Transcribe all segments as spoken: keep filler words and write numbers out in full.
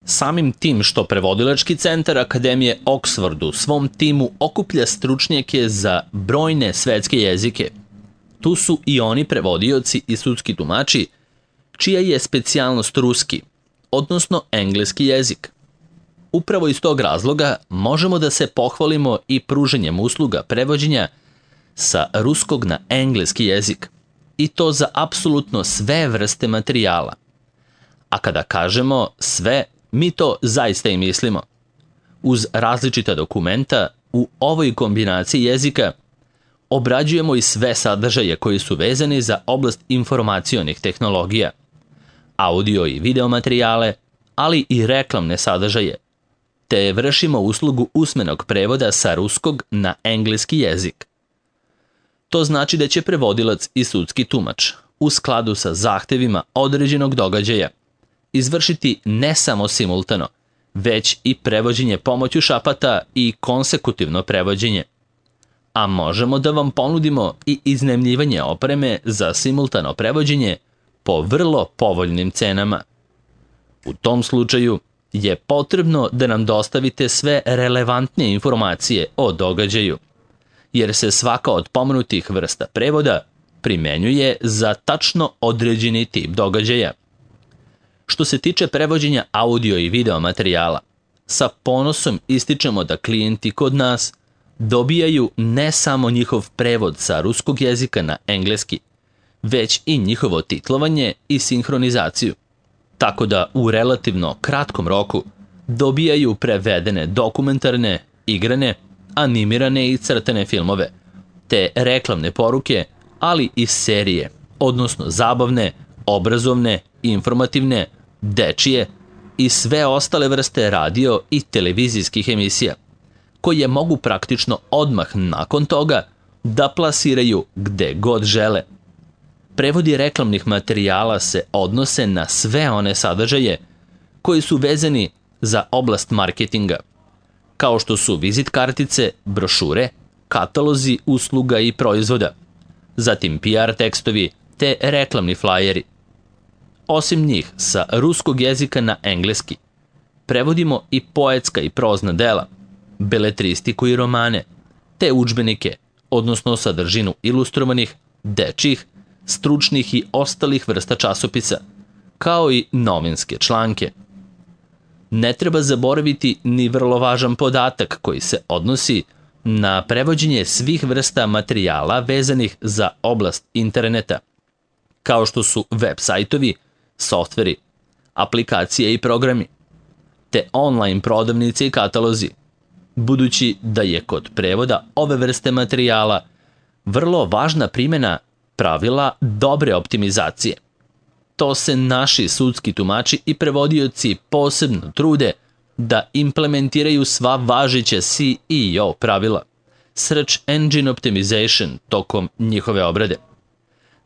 Samim tim što prevodilački centar Akademije Oxford u svom timu okuplja stručnjake za brojne svetske jezike, tu su i oni prevodioci i sudski tumači, čija je specijalnost ruski, odnosno engleski jezik. Upravo iz tog razloga možemo da se pohvalimo i pruženjem usluga prevođenja sa ruskog na engleski jezik, i to za apsolutno sve vrste materijala. A kada kažemo sve, mi to zaista i mislimo. Uz različita dokumenta, u ovoj kombinaciji jezika obrađujemo i sve sadržaje koji su vezani za oblast informacionih tehnologija, audio i video materijale, ali i reklamne sadržaje, te vršimo uslugu usmenog prevoda sa ruskog na engleski jezik. To znači da će prevodilac i sudski tumač, u skladu sa zahtevima određenog događaja, izvršiti ne samo simultano, već i prevođenje pomoću šapata i konsekutivno prevođenje. A možemo da vam ponudimo i iznajmljivanje opreme za simultano prevođenje po vrlo povoljnim cenama. U tom slučaju je potrebno da nam dostavite sve relevantnije informacije o događaju, jer se svaka od pomenutih vrsta prevoda primenjuje za tačno određeni tip događaja. Što se tiče prevođenja audio i video materijala, sa ponosom ističemo da klijenti kod nas dobijaju ne samo njihov prevod sa ruskog jezika na engleski, već i njihovo titlovanje i sinhronizaciju, tako da u relativno kratkom roku dobijaju prevedene dokumentarne, igrane, animirane i crtane filmove, te reklamne poruke, ali i serije, odnosno zabavne, obrazovne, informativne, dečije i sve ostale vrste radio i televizijskih emisija, koje mogu praktično odmah nakon toga da plasiraju gde god žele. Prevodi reklamnih materijala se odnose na sve one sadržaje koji su vezani za oblast marketinga, kao što su vizit kartice, brošure, katalozi usluga i proizvoda, zatim P R tekstovi te reklamni flajeri. Osim njih, sa ruskog jezika na engleski, prevodimo i poetska i prozna dela, beletristiku i romane, te udžbenike, odnosno sadržinu ilustrovanih, dečjih, stručnih i ostalih vrsta časopisa, kao i novinske članke. Ne treba zaboraviti ni vrlo važan podatak koji se odnosi na prevođenje svih vrsta materijala vezanih za oblast interneta, kao što su web sajtovi, softveri, aplikacije i programi, te online prodavnice i katalozi, budući da je kod prevoda ove vrste materijala vrlo važna primjena pravila dobre optimizacije. To se naši sudski tumači i prevodioci posebno trude da implementiraju sva važeća S E O pravila, Search Engine Optimization, tokom njihove obrade.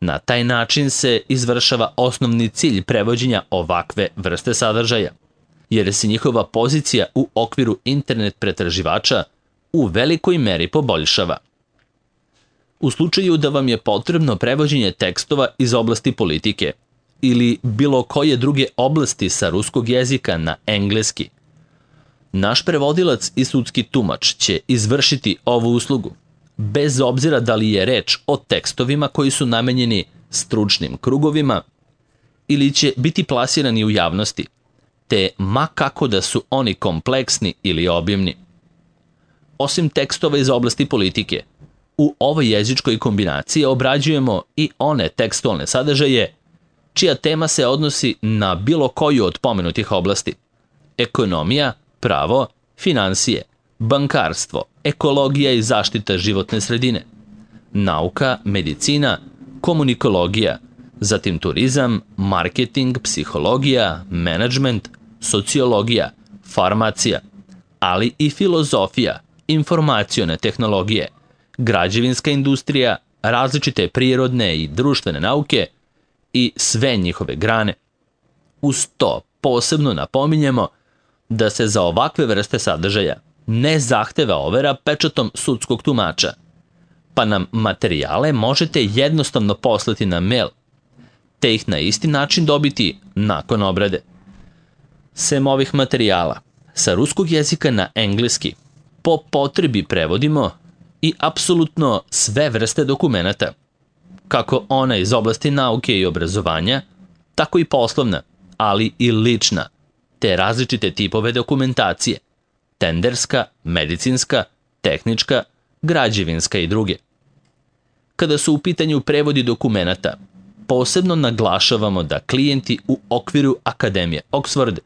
Na taj način se izvršava osnovni cilj prevođenja ovakve vrste sadržaja, jer se njihova pozicija u okviru internet pretraživača u velikoj meri poboljšava. U slučaju da vam je potrebno prevođenje tekstova iz oblasti politike ili bilo koje druge oblasti sa ruskog jezika na engleski, naš prevodilac i sudski tumač će izvršiti ovu uslugu, bez obzira da li je reč o tekstovima koji su namenjeni stručnim krugovima ili će biti plasirani u javnosti, te ma kako da su oni kompleksni ili obimni. Osim tekstova iz oblasti politike, u ovoj jezičkoj kombinaciji obrađujemo i one tekstualne sadržaje čija tema se odnosi na bilo koju od pomenutih oblasti: ekonomija, pravo, finansije, bankarstvo, ekologija i zaštita životne sredine, nauka, medicina, komunikologija, zatim turizam, marketing, psihologija, menadžment, sociologija, farmacija, ali i filozofija, informacione tehnologije, građevinska industrija, različite prirodne i društvene nauke i sve njihove grane. Uz to posebno napominjemo da se za ovakve vrste sadržaja ne zahteva overa pečatom sudskog tumača, pa nam materijale možete jednostavno poslati na mail, te ih na isti način dobiti nakon obrade. Sem ovih materijala, sa ruskog jezika na engleski po potrebi prevodimo i apsolutno sve vrste dokumenata, kako ona iz oblasti nauke i obrazovanja, tako i poslovna, ali i lična, te različite tipove dokumentacije, tenderska, medicinska, tehnička, građevinska i druge. Kada su u pitanju prevodi dokumenata, posebno naglašavamo da klijenti u okviru Akademije Oxford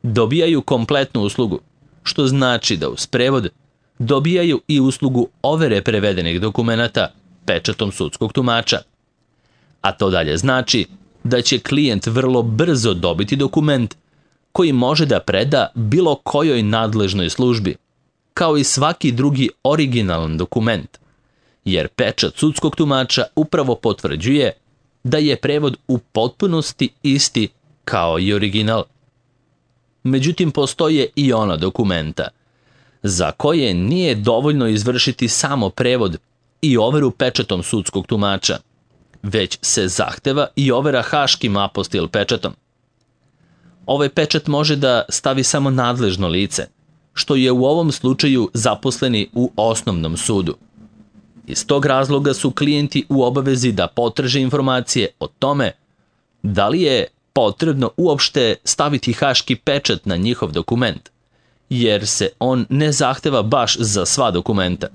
dobijaju kompletnu uslugu, što znači da uz prevod dobijaju i uslugu overe prevedenih dokumenata pečatom sudskog tumača. A to dalje znači da će klijent vrlo brzo dobiti dokument koji može da preda bilo kojoj nadležnoj službi, kao i svaki drugi originalan dokument, jer pečat sudskog tumača upravo potvrđuje da je prevod u potpunosti isti kao i original. Međutim, postoje i ona dokumenta za koje nije dovoljno izvršiti samo prevod i overu pečatom sudskog tumača, već se zahteva i overa haškim apostil pečatom. Ovaj pečat može da stavi samo nadležno lice, što je u ovom slučaju zaposleni u osnovnom sudu. Iz tog razloga su klijenti u obavezi da potraže informacije o tome da li je potrebno uopšte staviti haški pečat na njihov dokument, jer se on ne zahteva baš za sva dokumenta.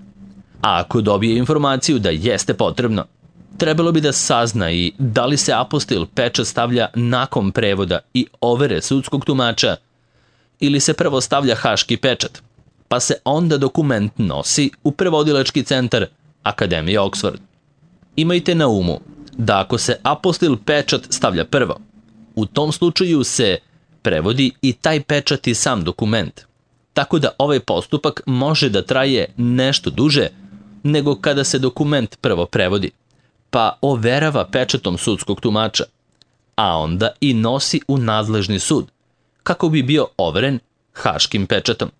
A ako dobije informaciju da jeste potrebno, trebalo bi da sazna i da li se apostil pečat stavlja nakon prevoda i overe sudskog tumača ili se prvo stavlja haški pečat, pa se onda dokument nosi u prevodilački centar Akademije Oxford. Imajte na umu da ako se apostil pečat stavlja prvo, u tom slučaju se prevodi i taj pečat i sam dokument, tako da ovaj postupak može da traje nešto duže nego kada se dokument prvo prevodi, pa overava pečatom sudskog tumača, a onda i nosi u nadležni sud, kako bi bio overen haškim pečatom.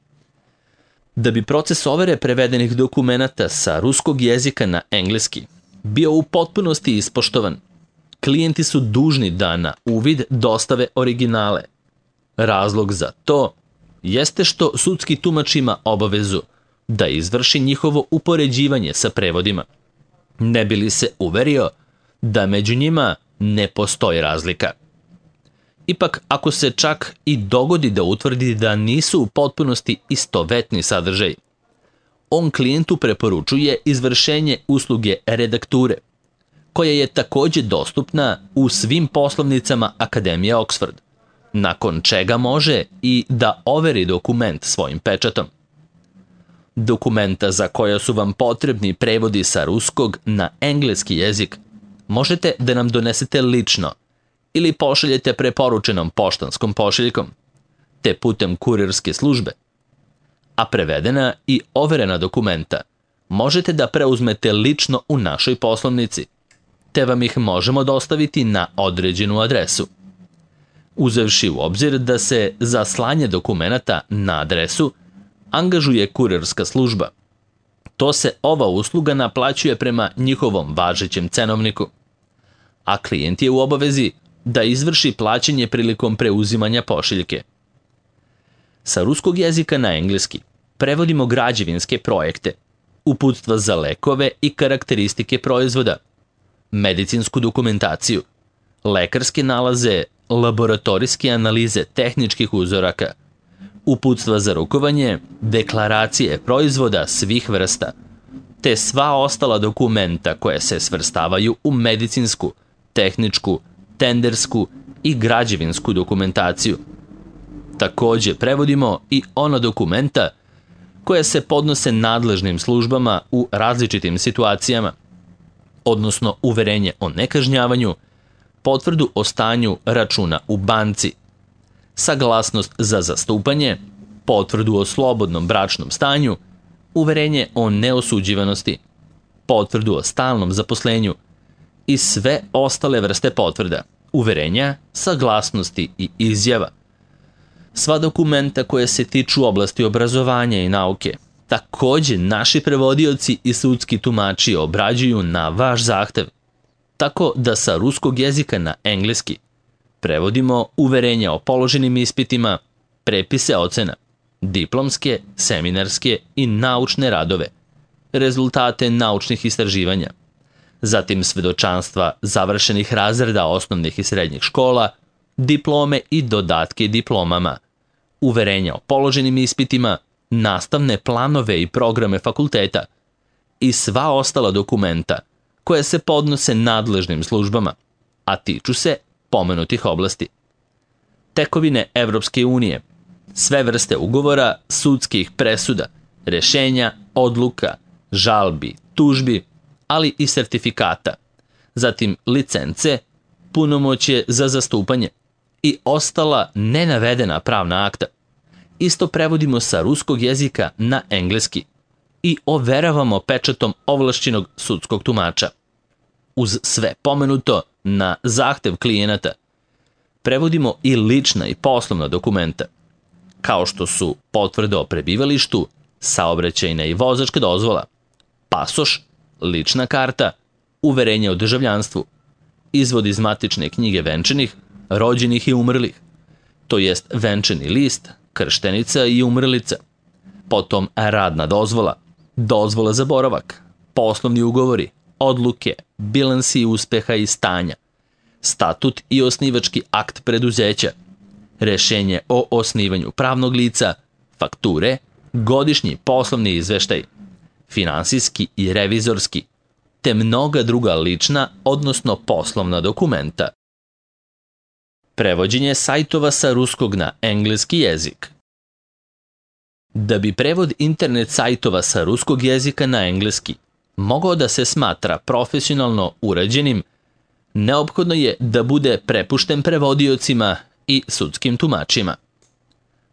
Da bi proces overe prevedenih dokumenata sa ruskog jezika na engleski bio u potpunosti ispoštovan, klijenti su dužni da na uvid dostave originale. Razlog za to jeste što sudski tumač ima obavezu da izvrši njihovo upoređivanje sa prevodima, ne bi li se uverio da među njima ne postoji razlika. Ipak, ako se čak i dogodi da utvrdi da nisu u potpunosti istovetni sadržaj, on klijentu preporučuje izvršenje usluge redakture, koja je takođe dostupna u svim poslovnicama Akademije Oxford, nakon čega može i da overi dokument svojim pečatom. Dokumenta za koja su vam potrebni prevodi sa ruskog na engleski jezik možete da nam donesete lično ili pošaljete preporučenom poštanskom pošiljkom, te putem kurirske službe. A prevedena i overena dokumenta možete da preuzmete lično u našoj poslovnici, te vam ih možemo dostaviti na određenu adresu. Uzevši u obzir da se za slanje dokumenata na adresu angažuje kurirska služba, to se ova usluga naplaćuje prema njihovom važećem cenovniku, a klijent je u obavezi da izvrši plaćanje prilikom preuzimanja pošiljke. Sa ruskog jezika na engleski prevodimo građevinske projekte, uputstva za lekove i karakteristike proizvoda, medicinsku dokumentaciju, lekarske nalaze, laboratorijske analize tehničkih uzoraka, uputstva za rukovanje, deklaracije proizvoda svih vrsta, te sva ostala dokumenta koje se svrstavaju u medicinsku, tehničku, tendersku i građevinsku dokumentaciju. Takođe prevodimo i ona dokumenta koja se podnose nadležnim službama u različitim situacijama, odnosno uverenje o nekažnjavanju, potvrdu o stanju računa u banci, saglasnost za zastupanje, potvrdu o slobodnom bračnom stanju, uverenje o neosuđivanosti, potvrdu o stalnom zaposlenju i sve ostale vrste potvrda, uverenja, saglasnosti i izjava. Sva dokumenta koje se tiču oblasti obrazovanja i nauke, takođe naši prevodioci i sudski tumači obrađuju na vaš zahtev, tako da sa ruskog jezika na engleski prevodimo uverenja o položenim ispitima, prepise ocena, diplomske, seminarske i naučne radove, rezultate naučnih istraživanja, zatim svedočanstva završenih razreda osnovnih i srednjih škola, diplome i dodatke diplomama, uverenja o položenim ispitima, nastavne planove i programe fakulteta i sva ostala dokumenta koje se podnose nadležnim službama, a tiču se pomenutih oblasti. Tekovine Evropske unije, sve vrste ugovora, sudskih presuda, rešenja, odluka, žalbi, tužbi, ali i sertifikata, zatim licence, punomoćje za zastupanje i ostala nenavedena pravna akta. Isto prevodimo sa ruskog jezika na engleski i overavamo pečatom ovlašćenog sudskog tumača. Uz sve pomenuto, na zahtev klijenata, prevodimo i lična i poslovna dokumenta, kao što su potvrde o prebivalištu, saobraćajna i vozačka dozvola, pasoš, lična karta, uverenje o državljanstvu, izvod iz matične knjige venčanih, rođenih i umrlih, to jest venčani list, krštenica i umrlica, potom radna dozvola, dozvola za boravak, poslovni ugovori, odluke, bilansi uspeha i stanja, statut i osnivački akt preduzeća, rešenje o osnivanju pravnog lica, fakture, godišnji poslovni izveštaj, finansijski i revizorski, te mnoga druga lična, odnosno poslovna dokumenta. Prevođenje sajtova sa ruskog na engleski jezik. Da bi prevod internet sajtova sa ruskog jezika na engleski mogao da se smatra profesionalno urađenim, neophodno je da bude prepušten prevodiocima i sudskim tumačima.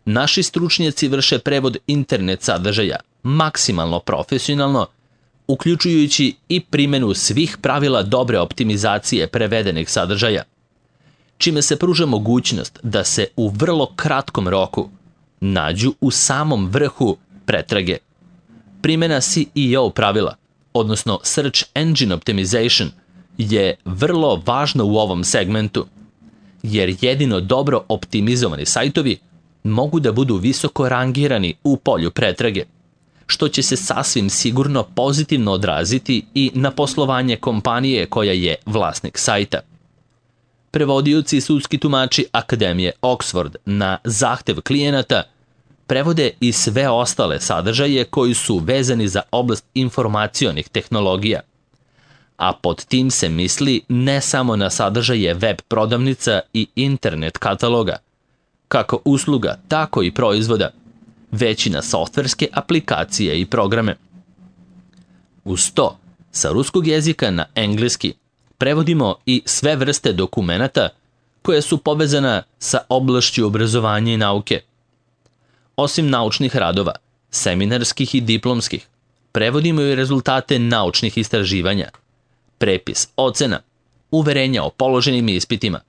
Naši stručnjaci vrše prevod internet sadržaja maksimalno profesionalno, uključujući i primjenu svih pravila dobre optimizacije prevedenih sadržaja, čime se pruža mogućnost da se u vrlo kratkom roku nađu u samom vrhu pretrage. Primjena S E O pravila, odnosno Search Engine Optimization, je vrlo važna u ovom segmentu, jer jedino dobro optimizovani sajtovi mogu da budu visoko rangirani u polju pretrage, što će se sasvim sigurno pozitivno odraziti i na poslovanje kompanije koja je vlasnik sajta. Prevodioci i sudski tumači Akademije Oxford na zahtev klijenata prevode i sve ostale sadržaje koji su vezani za oblast informacionih tehnologija, a pod tim se misli ne samo na sadržaje web prodavnica i internet kataloga, kako usluga, tako i proizvoda, već i na softverske aplikacije i programe. Uz to, sa ruskog jezika na engleski prevodimo i sve vrste dokumenata koje su povezana sa oblašću obrazovanja i nauke. Osim naučnih radova, seminarskih i diplomskih, prevodimo i rezultate naučnih istraživanja, prepis ocena, uverenja o položenim ispitima,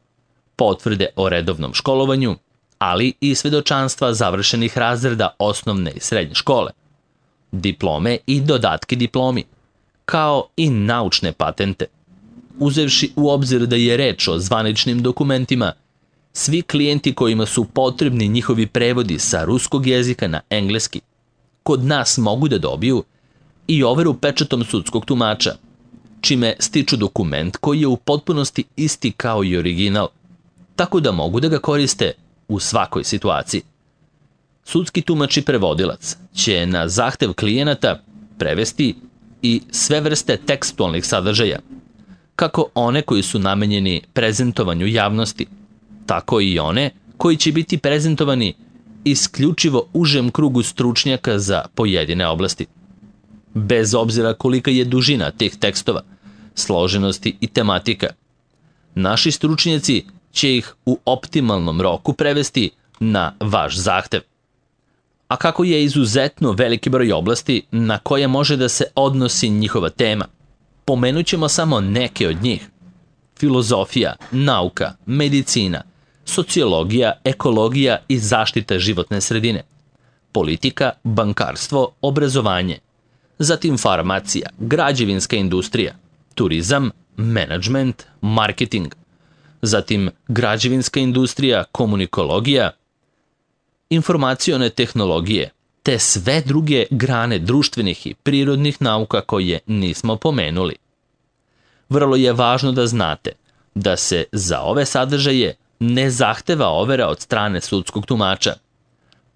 potvrde o redovnom školovanju, ali i svedočanstva završenih razreda osnovne i srednje škole, diplome i dodatke diplomi, kao i naučne patente. Uzevši u obzir da je reč o zvaničnim dokumentima, svi klijenti kojima su potrebni njihovi prevodi sa ruskog jezika na engleski, kod nas mogu da dobiju i overu pečatom sudskog tumača, čime stiču dokument koji je u potpunosti isti kao i original, tako da mogu da ga koriste u svakoj situaciji. Sudski tumač i prevodilac će na zahtev klijenata prevesti i sve vrste tekstualnih sadržaja, kako one koji su namenjeni prezentovanju javnosti, tako i one koji će biti prezentovani isključivo užem krugu stručnjaka za pojedine oblasti. Bez obzira kolika je dužina tih tekstova, složenosti i tematika, naši stručnjaci će ih u optimalnom roku prevesti na vaš zahtev. A kako je izuzetno veliki broj oblasti na koje može da se odnosi njihova tema, pomenut ćemo samo neke od njih. Filozofija, nauka, medicina, sociologija, ekologija i zaštita životne sredine, politika, bankarstvo, obrazovanje, zatim farmacija, građevinska industrija, turizam, menadžment, marketing, zatim građevinska industrija, komunikologija, informacione tehnologije, te sve druge grane društvenih i prirodnih nauka koje nismo pomenuli. Vrlo je važno da znate da se za ove sadržaje ne zahteva overa od strane sudskog tumača,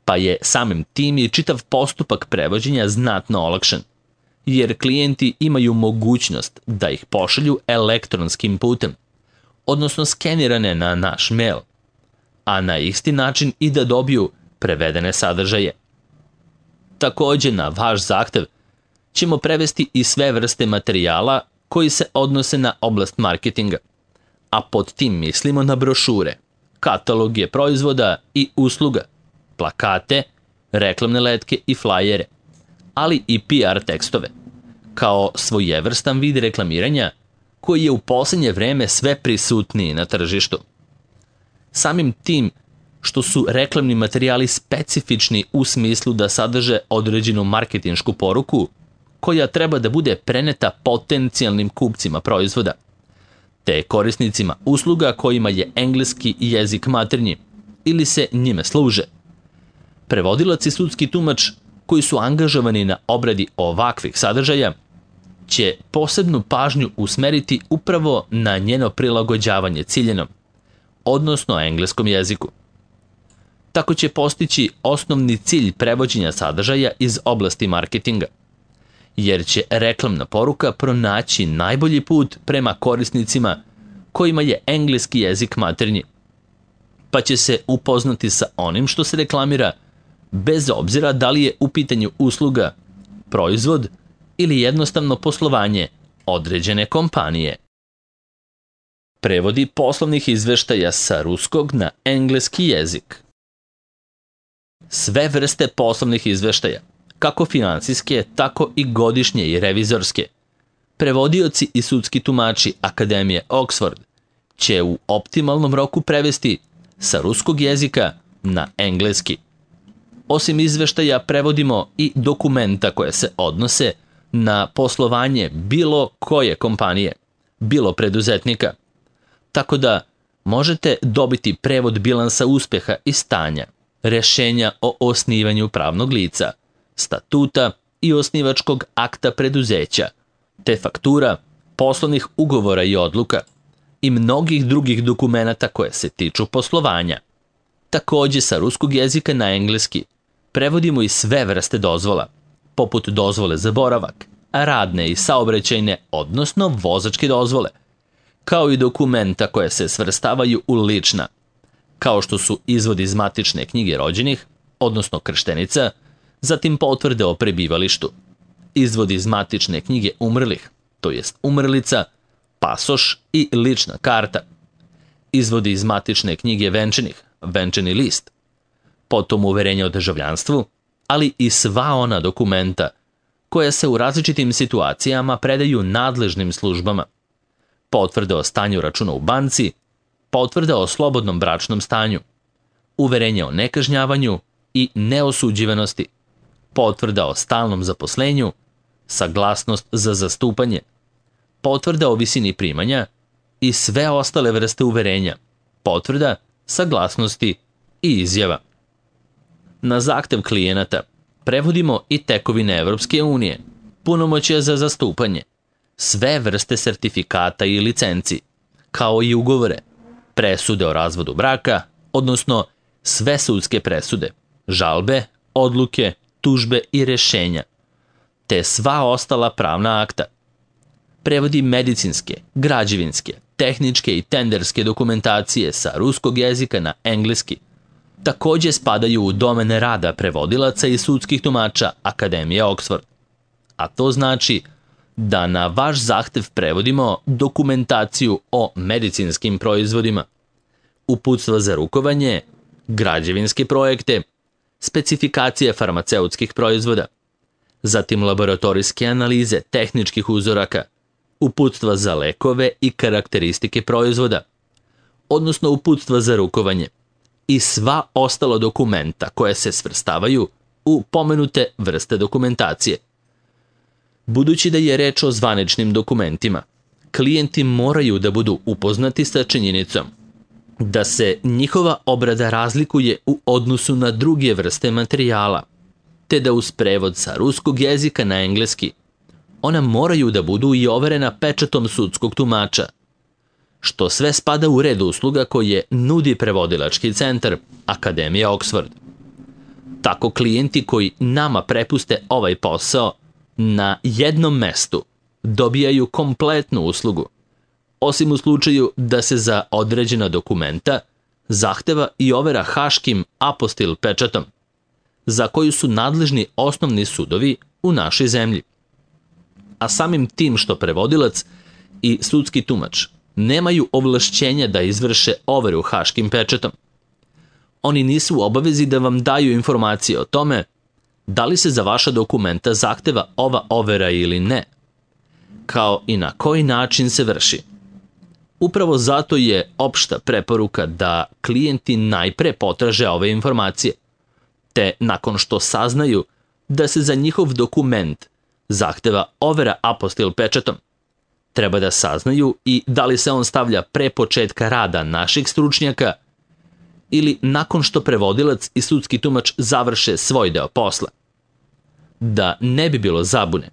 pa je samim tim i čitav postupak prevođenja znatno olakšan, jer klijenti imaju mogućnost da ih pošalju elektronskim putem, odnosno skenirane na naš mail, a na isti način i da dobiju prevedene sadržaje. Takođe, na vaš zahtev ćemo prevesti i sve vrste materijala koji se odnose na oblast marketinga, a pod tim mislimo na brošure, kataloge proizvoda i usluga, plakate, reklamne letke i flajere, ali i P R tekstove, kao svojevrstan vid reklamiranja koji je u poslednje vreme sve prisutniji na tržištu. Samim tim što su reklamni materijali specifični u smislu da sadrže određenu marketinšku poruku koja treba da bude preneta potencijalnim kupcima proizvoda, te korisnicima usluga kojima je engleski jezik maternji ili se njime služe. Prevodilac i sudski tumač koji su angažovani na obradi ovakvih sadržaja će posebnu pažnju usmeriti upravo na njeno prilagođavanje ciljenom, odnosno engleskom jeziku. Tako će postići osnovni cilj prevođenja sadržaja iz oblasti marketinga, jer će reklamna poruka pronaći najbolji put prema korisnicima kojima je engleski jezik maternji, pa će se upoznati sa onim što se reklamira, bez obzira da li je u pitanju usluga, proizvod ili jednostavno poslovanje određene kompanije. Prevodi poslovnih izveštaja sa ruskog na engleski jezik. Sve vrste poslovnih izveštaja, kako finansijske, tako i godišnje i revizorske, prevodioci i sudski tumači Akademije Oxford će u optimalnom roku prevesti sa ruskog jezika na engleski. Osim izveštaja prevodimo i dokumenta koje se odnose na poslovanje bilo koje kompanije, bilo preduzetnika, tako da možete dobiti prevod bilansa uspeha i stanja, rešenja o osnivanju pravnog lica, statuta i osnivačkog akta preduzeća, te faktura, poslovnih ugovora i odluka i mnogih drugih dokumenata koje se tiču poslovanja. Takođe, sa ruskog jezika na engleski prevodimo i sve vrste dozvola, poput dozvole za boravak, radne i saobraćajne, odnosno vozačke dozvole, kao i dokumenta koje se svrstavaju u lična, kao što su izvod iz matične knjige rođenih, odnosno krštenica, zatim potvrde o prebivalištu, izvod iz matične knjige umrlih, to jest umrlica, pasoš i lična karta, izvodi iz matične knjige venčanih, venčani list, potom uverenje o državljanstvu, ali i sva ona dokumenta koja se u različitim situacijama predaju nadležnim službama, potvrde o stanju računa u banci, potvrda o slobodnom bračnom stanju, uverenje o nekažnjavanju i neosuđivanosti, potvrda o stalnom zaposlenju, saglasnost za zastupanje, potvrda o visini primanja i sve ostale vrste uverenja, potvrda, saglasnosti i izjava. Na zahtev klijenata prevodimo i tekovine Evropske unije, punomoćja za zastupanje, sve vrste sertifikata i licenci, kao i ugovore, presude o razvodu braka, odnosno sve sudske presude, žalbe, odluke, tužbe i rešenja, te sva ostala pravna akta. Prevodi medicinske, građevinske, tehničke i tenderske dokumentacije sa ruskog jezika na engleski. Takođe spadaju u domene rada prevodilaca i sudskih tumača Akademije Oxford. A to znači da na vaš zahtev prevodimo dokumentaciju o medicinskim proizvodima, uputstva za rukovanje, građevinske projekte, specifikacije farmaceutskih proizvoda, zatim laboratorijske analize tehničkih uzoraka, uputstva za lekove i karakteristike proizvoda, odnosno uputstva za rukovanje i sva ostala dokumenta koje se svrstavaju u pomenute vrste dokumentacije. Budući da je reč o zvaničnim dokumentima, klijenti moraju da budu upoznati sa činjenicom da se njihova obrada razlikuje u odnosu na druge vrste materijala, te da uz prevod sa ruskog jezika na engleski ona moraju da budu i overena pečatom sudskog tumača, što sve spada u red usluga koje nudi prevodilački centar Akademija Oxford. Tako klijenti koji nama prepuste ovaj posao na jednom mestu dobijaju kompletnu uslugu, osim u slučaju da se za određena dokumenta zahteva i overa haškim apostil pečatom, za koju su nadležni osnovni sudovi u našoj zemlji. A samim tim što prevodilac i sudski tumač nemaju ovlašćenja da izvrše overu haškim pečatom, oni nisu u obavezi da vam daju informacije o tome da li se za vaša dokumenta zahteva ova overa ili ne, kao i na koji način se vrši. Upravo zato je opšta preporuka da klijenti najpre potraže ove informacije, te nakon što saznaju da se za njihov dokument zahteva overa apostil pečatom, treba da saznaju i da li se on stavlja pre početka rada naših stručnjaka ili nakon što prevodilac i sudski tumač završe svoj deo posla. Da ne bi bilo zabune,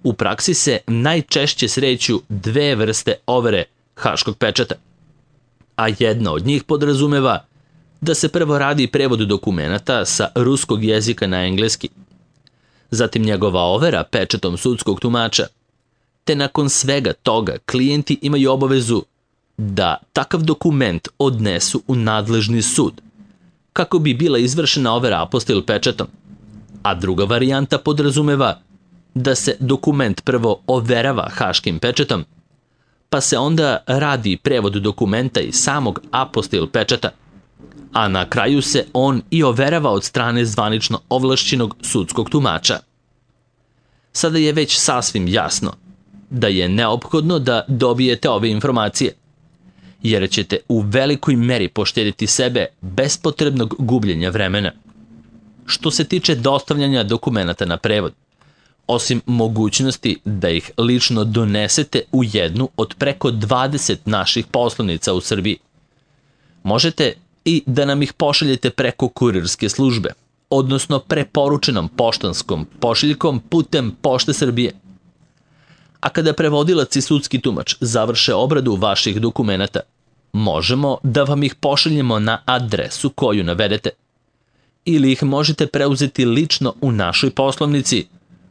u praksi se najčešće sreću dve vrste overe haškog pečata, a jedna od njih podrazumeva da se prvo radi prevod dokumenata sa ruskog jezika na engleski, zatim njegova overa pečatom sudskog tumača, te nakon svega toga klijenti imaju obavezu da takav dokument odnesu u nadležni sud, kako bi bila izvršena overa apostil pečatom, a druga varijanta podrazumeva da se dokument prvo overava haškim pečatom, pa se onda radi prevod dokumenta i samog apostil pečata, a na kraju se on i overava od strane zvanično ovlašćenog sudskog tumača. Sada je već sasvim jasno da je neophodno da dobijete ove informacije, jer ćete u velikoj meri poštediti sebe bespotrebnog gubljenja vremena. Što se tiče dostavljanja dokumenata na prevod, osim mogućnosti da ih lično donesete u jednu od preko dvadeset naših poslovnica u Srbiji, možete i da nam ih pošaljete preko kurirske službe, odnosno preporučenom poštanskom pošiljkom putem Pošte Srbije. A kada prevodilac i sudski tumač završe obradu vaših dokumenata, možemo da vam ih pošaljemo na adresu koju navedete, ili ih možete preuzeti lično u našoj poslovnici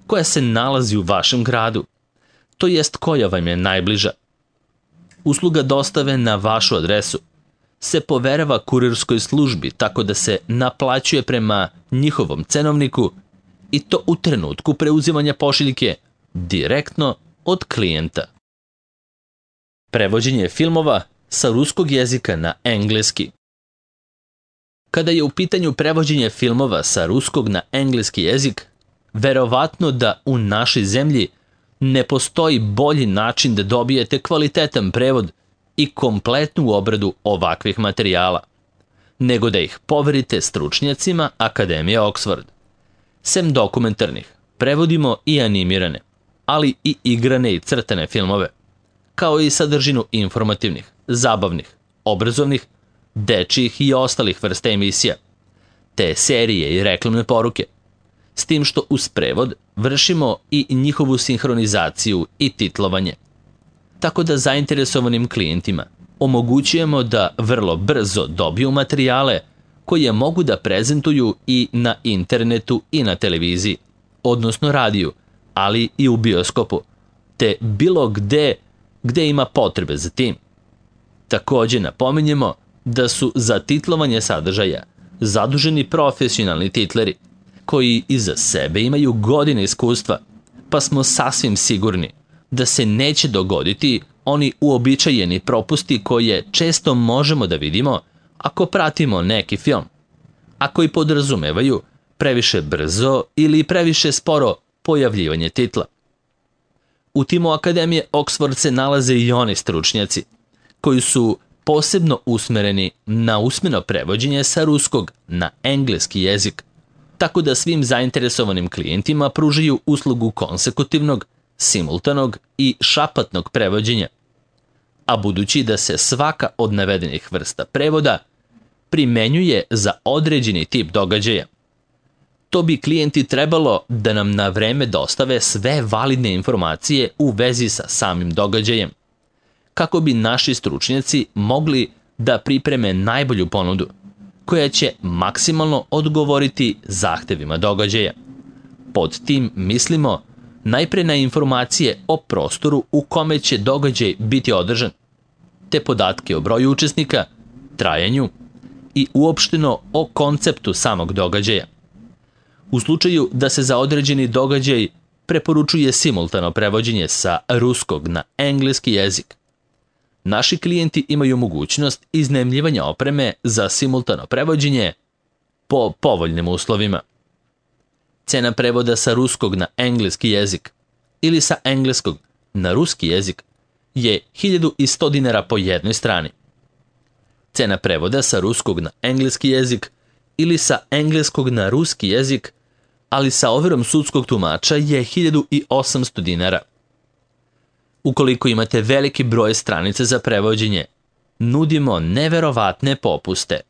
koja se nalazi u vašem gradu, to jest koja vam je najbliža. Usluga dostave na vašu adresu se poverava kurirskoj službi tako da se naplaćuje prema njihovom cenovniku i to u trenutku preuzimanja pošiljke direktno od klijenta. Prevođenje filmova sa ruskog jezika na engleski. Kada je u pitanju prevođenje filmova sa ruskog na engleski jezik, verovatno da u našoj zemlji ne postoji bolji način da dobijete kvalitetan prevod i kompletnu obradu ovakvih materijala, nego da ih poverite stručnjacima Akademije Oxford. Sem dokumentarnih, prevodimo i animirane, ali i igrane i crtane filmove, kao i sadržinu informativnih, zabavnih, obrazovnih, dečjih i ostalih vrsta emisija, te serije i reklamne poruke, s tim što uz prevod vršimo i njihovu sinhronizaciju i titlovanje. Tako da zainteresovanim klijentima omogućujemo da vrlo brzo dobiju materijale koje mogu da prezentuju i na internetu i na televiziji, odnosno radiju, ali i u bioskopu, te bilo gde gde ima potrebe za tim. Takođe napominjemo da su za titlovanje sadržaja zaduženi profesionalni titleri, koji iza sebe imaju godine iskustva, pa smo sasvim sigurni da se neće dogoditi oni uobičajeni propusti koje često možemo da vidimo ako pratimo neki film, a koji podrazumevaju previše brzo ili previše sporo pojavljivanje titla. U timu Akademije Oxford se nalaze i oni stručnjaci koji su posebno usmereni na usmeno prevođenje sa ruskog na engleski jezik, tako da svim zainteresovanim klijentima pružaju uslugu konsekutivnog, simultanog i šapatnog prevođenja. a budući da se svaka od navedenih vrsta prevoda primenjuje za određeni tip događaja, to bi klijenti trebalo da nam na vreme dostave sve validne informacije u vezi sa samim događajem, kako bi naši stručnjaci mogli da pripreme najbolju ponudu, koja će maksimalno odgovoriti zahtevima događaja. Pod tim mislimo najpre na informacije o prostoru u kome će događaj biti održan, te podatke o broju učesnika, trajanju i uopšteno o konceptu samog događaja. U slučaju da se za određeni događaj preporučuje simultano prevođenje sa ruskog na engleski jezik, naši klijenti imaju mogućnost iznajmljivanja opreme za simultano prevođenje po povoljnim uslovima. Cena prevoda sa ruskog na engleski jezik ili sa engleskog na ruski jezik je hiljadu sto dinara po jednoj strani. Cena prevoda sa ruskog na engleski jezik ili sa engleskog na ruski jezik, ali sa overom sudskog tumača, je hiljadu osamsto dinara. Ukoliko imate veliki broj stranica za prevođenje, nudimo neverovatne popuste.